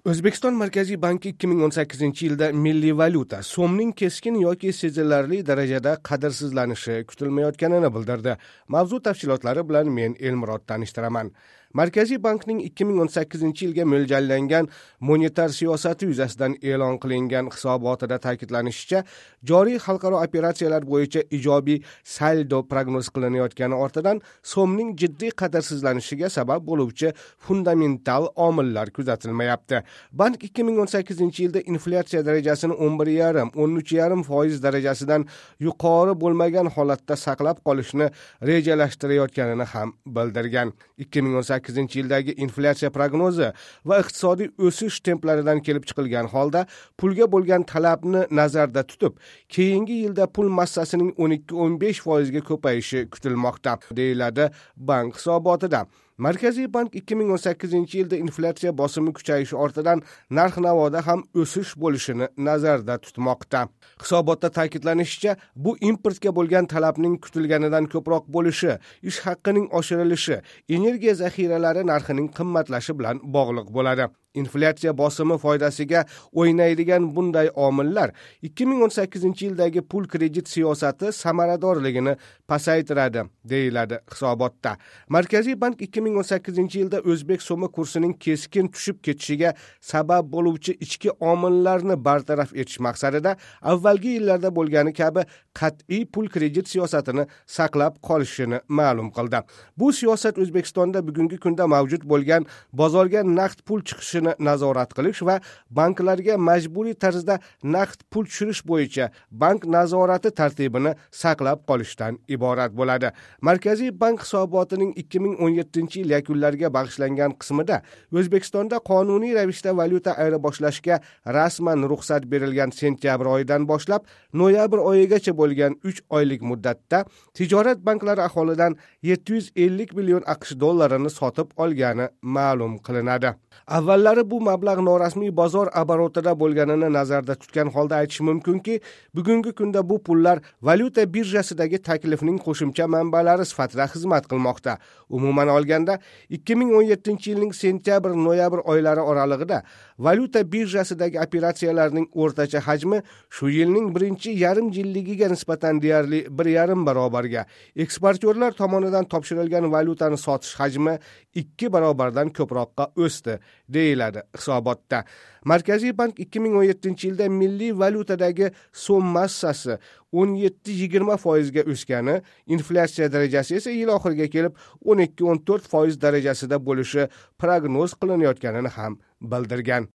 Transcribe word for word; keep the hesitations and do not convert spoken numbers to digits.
O'zbekiston Markaziy banki ikki ming o'n sakkizinchi yilda milliy valyuta so'mning keskin yoki sezilarli darajada qadrsizlanishi kutilmayotganini bildirdi. Mavzu tafsilotlari bilan men Elmurod tanishtiraman. Markaziy bankning ikki ming o'n sakkizinchi yilga mo'ljallangan monetar siyosati yuzasidan e'lon qilingan hisobotida ta'kidlanishicha, joriy xalqaro operatsiyalar bo'yicha ijobiy saldo prognoz qilinayotgani ortidan so'mning jiddiy qadrsizlanishiga sabab bo'luvchi fundamental omillar kuzatilmayapti. Bank ikki ming o'n sakkizinchi yilda inflyatsiya darajasini o'n bir yarim, o'n uch yarim foiz darajasidan yuqori bo'lmagan holatda saqlab qolishni rejalashtirayotganini ham bildirgan. ikki ming o'n sakkizinchi yildagi inflyatsiya prognozi va iqtisodiy o'sish templaridan kelib chiqilgan holda pulga bo'lgan talabni nazarda tutib, keyingi yilda pul massasining o'n ikki o'n besh foizga ko'payishi kutilmoqda, deyiladi bank hisobotida. Markaziy bank ikki ming o'n sakkizinchi yilda inflyatsiya bosimi kuchayishi ortidan narx-navoda ham o'sish bo'lishini nazarda tutmoqda. Hisobotda ta'kidlanishicha, bu importga bo'lgan talabning kutilganidan ko'proq bo'lishi, ish haqining oshirilishi, energiya zaxiralari narxining qimmatlashi bilan bog'liq bo'ladi. Inflyatsiya bosimi foydasiga o'ynaydigan bunday omillar ikki ming o'n sakkizinchi yildagi pul kredit siyosati samaradorligini pasaytiradi, deyiladi hisobotda. Markaziy bank ikki ming o'n sakkizinchi yilda o'zbek so'mi kursining keskin tushib ketishiga sabab bo'luvchi ichki omillarni bartaraf etish maqsadida avvalgi yillarda bo'lgani kabi qat'iy pul kredit siyosatini saqlab qolishini ma'lum qildi. Bu siyosat O'zbekistonda bugungi kunda mavjud bo'lgan bozorga naqd pul chiqishini nazorat qilish va banklarga majburiy tarzda naqd pul tushirish bo'yicha bank nazorati tartibini saqlab qolishdan iborat bo'ladi. Markaziy bank hisobotining ikki ming o'n yettinchi yil yakunlariga bag'ishlangan qismida O'zbekistonda qonuniy ravishda valyuta ayirboshlashga rasman ruxsat berilgan sentyabr oyidan boshlab noyabr oyigacha bo'lgan uch oylik muddatda tijorat banklari aholidan yetti yuz ellik million AQSh dollarini sotib olgani ma'lum qilinadi. Avvallari bu mablag' norasmiy bozor oborotida bo'lganini nazarda tutgan holda aytish mumkinki, bugungi kunda bu pullar valyuta birjasidagi taklifning qo'shimcha manbalari sifatida xizmat qilmoqda. Umuman olganda, ikki ming o'n yettinchi yilning sentyabr-noyabr oylari oralig'ida valyuta birjasidagi operatsiyalarning o'rtacha hajmi shu yilning birinchi yarim yilligiga nisbatan deyarli bir yarim barobarga, eksportyorlar tomonidan topshirilgan valyutani sotish hajmi ikki barobardan ko'proqqa o'sdi, deyiladi hisobotda. Markaziy bank ikki ming o'n yettinchi yilda milliy valyutadagi so'm massasi o'n yetti yigirma foizga o'sgani, inflyatsiya darajasi esa yil oxiriga kelib o'n ikki o'n to'rt foiz darajasida bo'lishi prognoz qilinayotganini ham bildirgan.